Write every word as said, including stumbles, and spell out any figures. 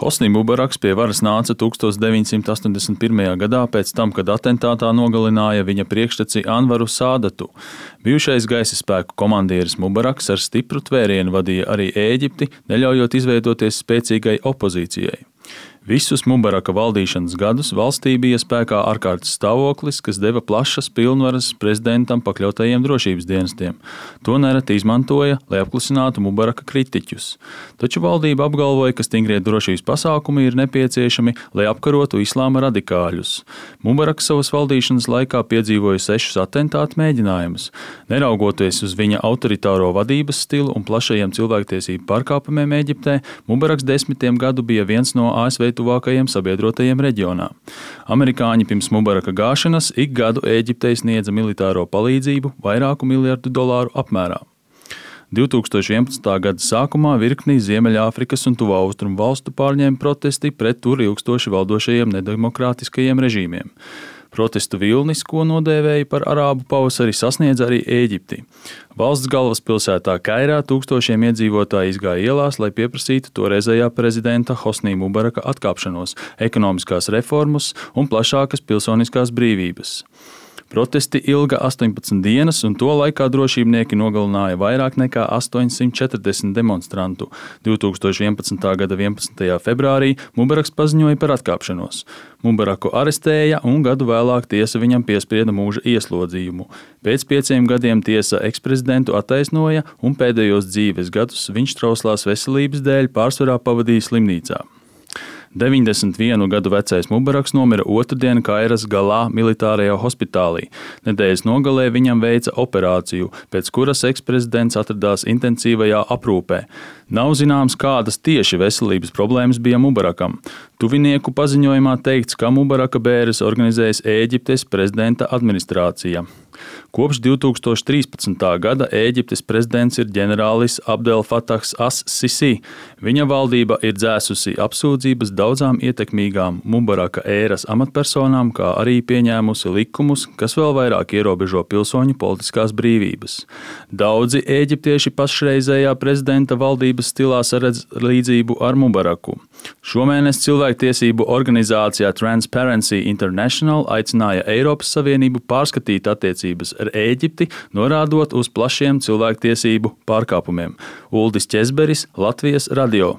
Hosnī Mubaraks pie varas nāca tukstos deviņsimt astoņdesmit pirmajā gadā pēc tam, kad atentātā nogalināja viņa priekšteci Anvaru Sādatu. Bijušais gaisa spēku komandieris Mubaraks ar stipru tvērienu vadīja arī Ēģipti, neļaujot izveidoties spēcīgai opozīcijai. Visus Mubaraka valdīšanas gadus valstī bija spēkā ārkārtas stāvoklis, kas deva plašas pilnvaras prezidentam pakļautajiem drošības dienestiem. To nereti izmantoja, lai apklusinātu Mubaraka kritiķus. Taču valdība apgalvoja, ka stingrie drošības pasākumi ir nepieciešami, lai apkarotu islāma radikāļus. Mubaraks savas valdīšanas laikā piedzīvoja sešus atentātu mēģinājumus. Neraugoties uz viņa autoritāro vadības stilu un plašajiem cilvēktiesību pārkāpumiem Ēģiptē, Mubaraks desmitiem gadu bija viens no A S V tuvākajiem sabiedrotajiem reģionā. Amerikāņi pirms Mubaraka gāšanas ik gadu Ēģiptei sniedza militāro palīdzību vairāku miljardu dolāru apmērā. divtūkstoš vienpadsmitā gada sākumā virknī Ziemeļāfrikas un Tuvā Austrumu valstu pārņēma protesti pret tur ilgstoši valdošajiem nedemokrātiskajiem režīmiem. Protestu vilnis, ko nodēvēja par arābu pavasari, sasniedz arī Ēģipti. Valsts galvaspilsētā Kairā tūkstošiem iedzīvotāji izgāja ielās, lai pieprasītu toreizējā prezidenta Hosnī Mubaraka atkāpšanos, ekonomiskās reformas un plašākas pilsoniskās brīvības. Protesti ilga astoņpadsmit dienas, un to laikā drošībnieki nogalināja vairāk nekā astoņsimt četrdesmit demonstrantu. divtūkstoš vienpadsmitā gada vienpadsmitajā februārī Mubaraks paziņoja par atkāpšanos. Mubaraku arestēja un gadu vēlāk tiesa viņam piesprieda mūža ieslodzījumu. Pēc pieciem gadiem tiesa eksprezidentu attaisnoja, un pēdējos dzīves gadus viņš trauslās veselības dēļ pārsvarā pavadīja slimnīcā. deviņdesmit vienu gadu vecais Mubaraks nomira otrdien Kairas Galā militārajā hospitālī. Nedēļas nogalē viņam veica operāciju, pēc kuras eksprezidents atradās intensīvajā aprūpē. Nav zināms, kādas tieši veselības problēmas bija Mubarakam. Tuvinieku paziņojumā teikts, ka Mubaraka bēres organizējas Ēģiptes prezidenta administrācija. Kopš divtūkstoš trīspadsmitā gada Ēģiptes prezidents ir ģenerālis Abdel Fatahs as-Sisi. Viņa valdība ir dzēsusi apsūdzības daudzām ietekmīgām Mubaraka ēras amatpersonām, kā arī pieņēmusi likumus, kas vēl vairāk ierobežo pilsoņu politiskās brīvības. Daudzi ēģiptieši pašreizējā prezidenta valdības stilā saredz līdzību ar Mubaraku. Šomēnes cilvēktiesību organizācijā Transparency International aicināja Eiropas Savienību pārskatīt attiecības ar Ēģipti, norādot uz plašiem cilvēktiesību pārkāpumiem. Uldis Ķezberis, Latvijas radio.